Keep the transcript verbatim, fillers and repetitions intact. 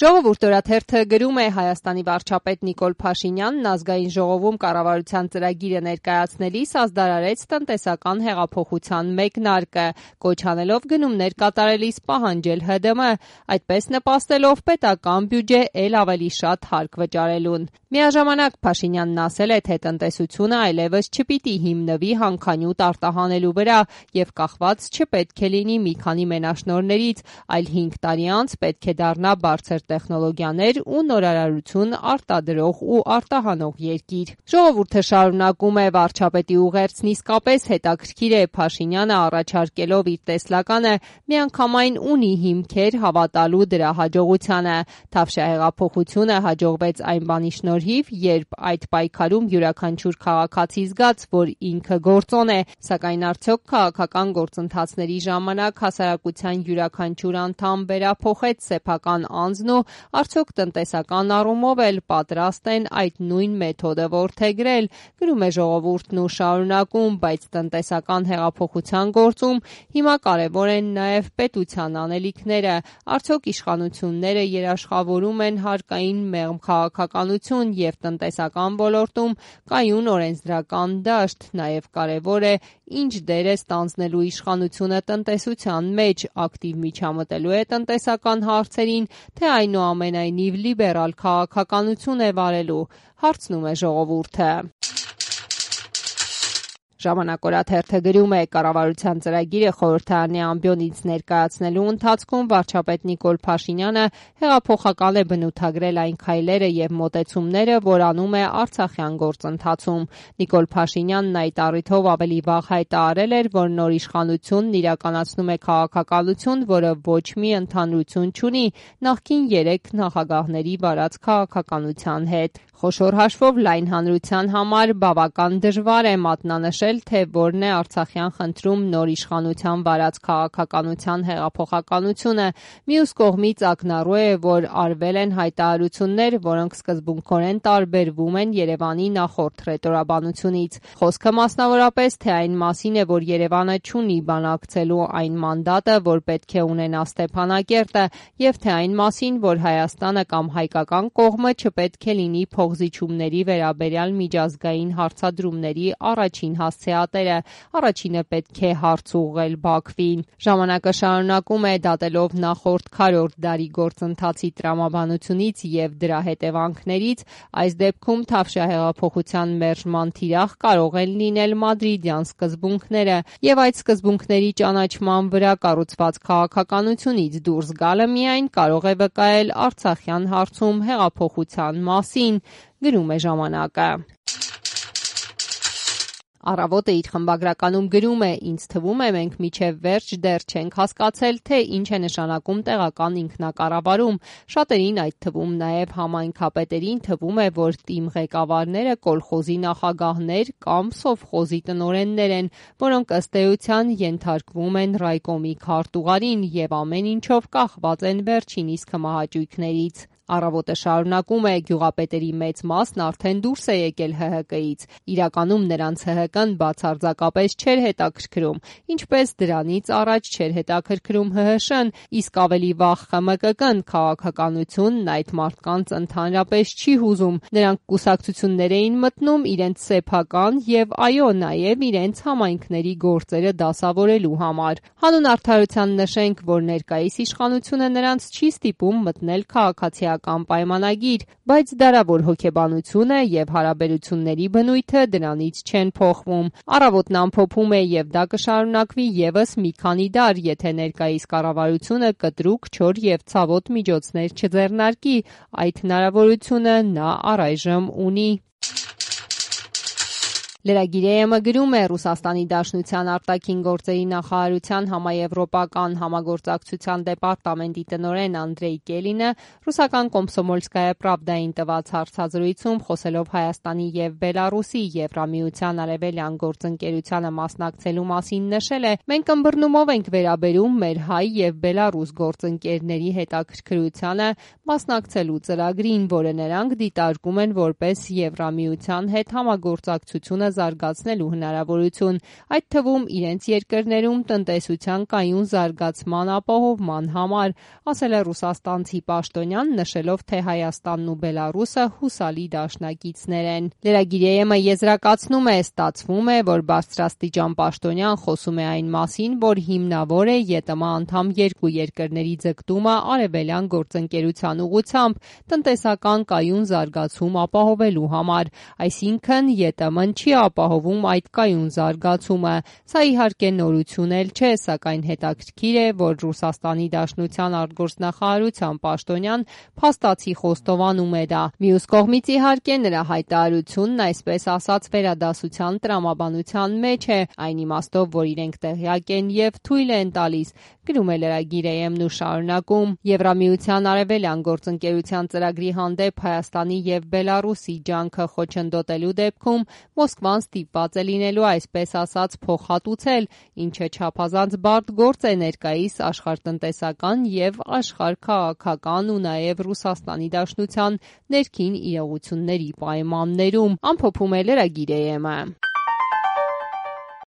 Ժողովուրդ օրաթերթը գրում է Հայաստանի վարչապետ Նիկոլ Փաշինյանն ազգային ժողովում կառավարության ծրագիրը ներկայացնելիս ազդարարեց տնտեսական հեղափոխության մեկնարկը, կոչ անելով գնումներ կատարելիս պահանջել Հ D M, այդպես նպաստելով պետական բյուջե էլ ավելի շատ հարկ վճարելուն։ Միաժամանակ Փաշինյանն ասել է, թե տնտեսությունը այլևս չպիտի հիմնվի հանքանյութ արտահանելու վրա եւ կախված չպետք է լինի մի քանի մենաշնորհներից, այլ հինգ տարի անց պետք է դառնա բարձր տեխնոլոգիաներ ու նորարարություն արտադրող ու արտահանող երկիր։ Ժողովուրդը շարունակում է վարչապետի ուղերձն իսկապես հետաքրքիր է, Փաշինյանը առաջարկելով իր տեսլականը միանգամայն ունի հիմքեր հավատալու դրա հաջողությանը։ Թավշյա հեղափոխությունը հաջողվեց այն բանի շնորհիվ, երբ այդ պայքարում յուրաքանչյուր քաղաքացի զգաց, որ ինքը գործոն է, սակայն արդյոք քաղաքական գործընթացների ժամանակ հասարակության յուրաքանչյուր անդամ վերափոխեց սեփական անձն ու արդյոք տնտեսական առումով էլ պատրաստ են այդ նույն մեթոդը որդեգրել, գրում է Ժողովուրդն ու շարունակում, բայց տնտեսական հեղափոխության գործում հիմա կարևոր են նաև պետության անելիքները, արդյոք իշխանությունները երաշխավորում են հարկային մեղմ քաղաքականություն եւ տնտեսական ոլորտում կայուն օրենսդրական դաշտ, նաև կարևոր է ինչ դեր է ստանձնելու իշխանությունը տնտեսության մեջ, ակտիվ միջամտելու է տնտեսական հարցերին, թե այնուամենայնիվ լիբերալ քաղաքականություն է վարելու, հարցնում է Ժողովուրդը։ Ժամանակ օրաթերթը գրում է կառավարության ծրագիրը խորհրդարանի ամբիոնից ներկայացնելու ընթացքում վարչապետ Նիկոլ Փաշինյանը հեղափոխական է բնութագրել այն քայլերը եւ մոտեցումները, որ անում է արցախյան գործընթացում։ Նիկոլ Փաշինյանն այդ առիթով ավելի վաղ հայտարարել էր, որ նոր իշխանությունն իրականացնում է քաղաքականություն, որը ոչ մի ընդհանրություն չունի նախկին երեք նախագահների վարած քաղաքականության հետ։ Խոշոր հաշվով լայն հանրության համար բավական դժվար է մատնանշել, թե որն է արցախյան խնդրում նոր իշխանության վարած քաղաքականության հեղափոխականությունը։ Մյուս կողմից ակնառու է, որ արվել են հայտարարություններ, որոնք սկզբունքորեն տարբերվում են Երևանի նախորդ ռետորաբանությունից։ Խոսքը մասնավորապես թե այն մասին է, որ Երևանը չունի բանակցելու այն մանդատը, որ պետք է ունենա Ստեփանակերտը, եւ թե այն մասին, որ Հայաստանը կամ հայկական կողմը չպետք է լինի փոխզիջումների վերաբերյալ միջազգային հարցադրումների առաջին հասցեատերը, առաջինը պետք է հարց ուղղել Բաքվին։ Ժամանակը շարունակում է դատելով նախորդ քառորդ դարի գործընթացի տրամաբանությունից եւ դրա հետևանքներից, այս դեպքում Թավշյա հեղափոխության մերժման թիրախ կարող են լինել մադրիդյան սկզբունքները եւ այդ սկզբունքների ճանաչման վրա կառուցված քաղաքականությունից դուրս գալը միայն կարող է վկայել արցախյան հարցում հեղափոխության մասին, գրում է Ժամանակը։ Առավոտը իր խմբագրականում գրում է. «Ինձ թվում է, մենք մինչև վերջ դեռ չենք հասկացել, թե ինչ է նշանակում տեղական ինքնակառավարում։ Շատերին, այդ թվում նաև համայնքապետերին, թվում է, որ թիմ ղեկավարները կոլխոզի նախագահներ կամ սովխոզի տնօրեններ են, որոնք ըստ էության ենթարկվում են ռայկոմի քարտուղարին եւ ամեն ինչով կախված են վերջին իսկ հմահաճույքներից»։ Առավոտը շարունակում է. «Գյուղապետերի մեծ մասն արդեն դուրս է եկել Հ Հ Կ-ից։ Իրականում նրանց Հ Հ Կ-ն բացարձակապես չէր հետաքրքրում, ինչպես դրանից առաջ չէր հետաքրքրում Հ Հ Շ-ն, իսկ ավելի վաղ Խ M K K-ն քաղաքականությունն այդ մարդկանց ընդհանրապես չի հուզում։ Նրանք կուսակցություններ էին մտնում իրենց սեփական եւ այո, նաեւ իրենց համայնքների գործերը դասավորելու համար։ Հանուն արդարության նշենք, որ ներկայիս իշխանությունը նրանց չի ստիպում մտնել քաղաքացիական պայմանագիր, բայց դարավոր հոգեբանությունը եւ հարաբերությունների բնույթը դրանից չեն փոխվում։ Առավոտն ամփոփում է եւ դա կշարունակվի եւս մի քանի դար, եթե ներկայիս կառավարությունը կտրուկ, չոր եւ ցավոտ միջոցներ չձեռնարկի։ Այդ հնարավորությունը նա առայժմ ունի»։ Լրագիր-ը գրում է. «Ռուսաստանի Դաշնության արտաքին գործերի նախարարության համաեվրոպական համագործակցության դեպարտամենտի տնօրեն Անդրեյ Կելինը ռուսական Կոմսոմոլսկայա պրավդային տված հարցազրույցում խոսելով Հայաստանի եւ Բելարուսի Եվրամիության արևելյան գործընկերությանը մասնակցելու մասին նշել է. «Մենք ըմբռնումով ենք վերաբերում մեր հայ եւ Բելարուս գործընկերների հետաքրքրությանը մասնակցելու ծրագրին, որը նրանք դիտարկում են որպես Եվրամիության հետ համագործակցությունը զարգացնելու հնարավորություն, այդ թվում իրենց երկրներում տնտեսության կայուն զարգացման ապահովման համար, ասել է ռուսաստանցի պաշտոնյան, նշելով, թե Հայաստանն ու Բելարուսը հուսալի դաշնակիցներ են։ Լրագիր-ը եզրակացնում է, ստացվում է, որ բարձրաստիճան պաշտոնյան խոսում է այն մասին, որ հիմնավոր է ԵՏՄ անդամ երկու երկրների ձգտումը արևելյան գործընկերության ուղղությամբ տնտեսական կայուն զարգացում ապահովելու համար, այսինքն ԵՏՄ-ն չի ապահովում այդ կայուն զարգացումը։ Սա իհարկե նորություն էլ չէ, սակայն հետաքրքիր է, որ Ռուսաստանի Դաշնության արտգործնախարարության պաշտոնյան փաստացի խոստովանում է դա։ Մյուս կողմից իհարկե նրա հայտարարությունն այսպես ասած վերադասության տրամաբանության մեջ է, այն իմաստով, որ իրենք տեղյակ են եւ թույլ են տալիս, գրում է լրագիր-ն ու շարունակում. Եվրամիության արևելյան գործընկերության ծրագրի հանդեպ Հայաստանի եւ Բելարուսի ջանքը խոչընդոտելու դեպքում Մոսկվան ստիպված է լինելու այսպես ասած փոխհատուցել, ինչը չափազանց բարդ գործ է ներկայիս աշխարհտնտեսական եւ աշխարհքաղաքական ու նաեւ Ռուսաստանի Դաշնության ներքին իրողությունների պայմաններում, ամփոփում է լրագիր-ը։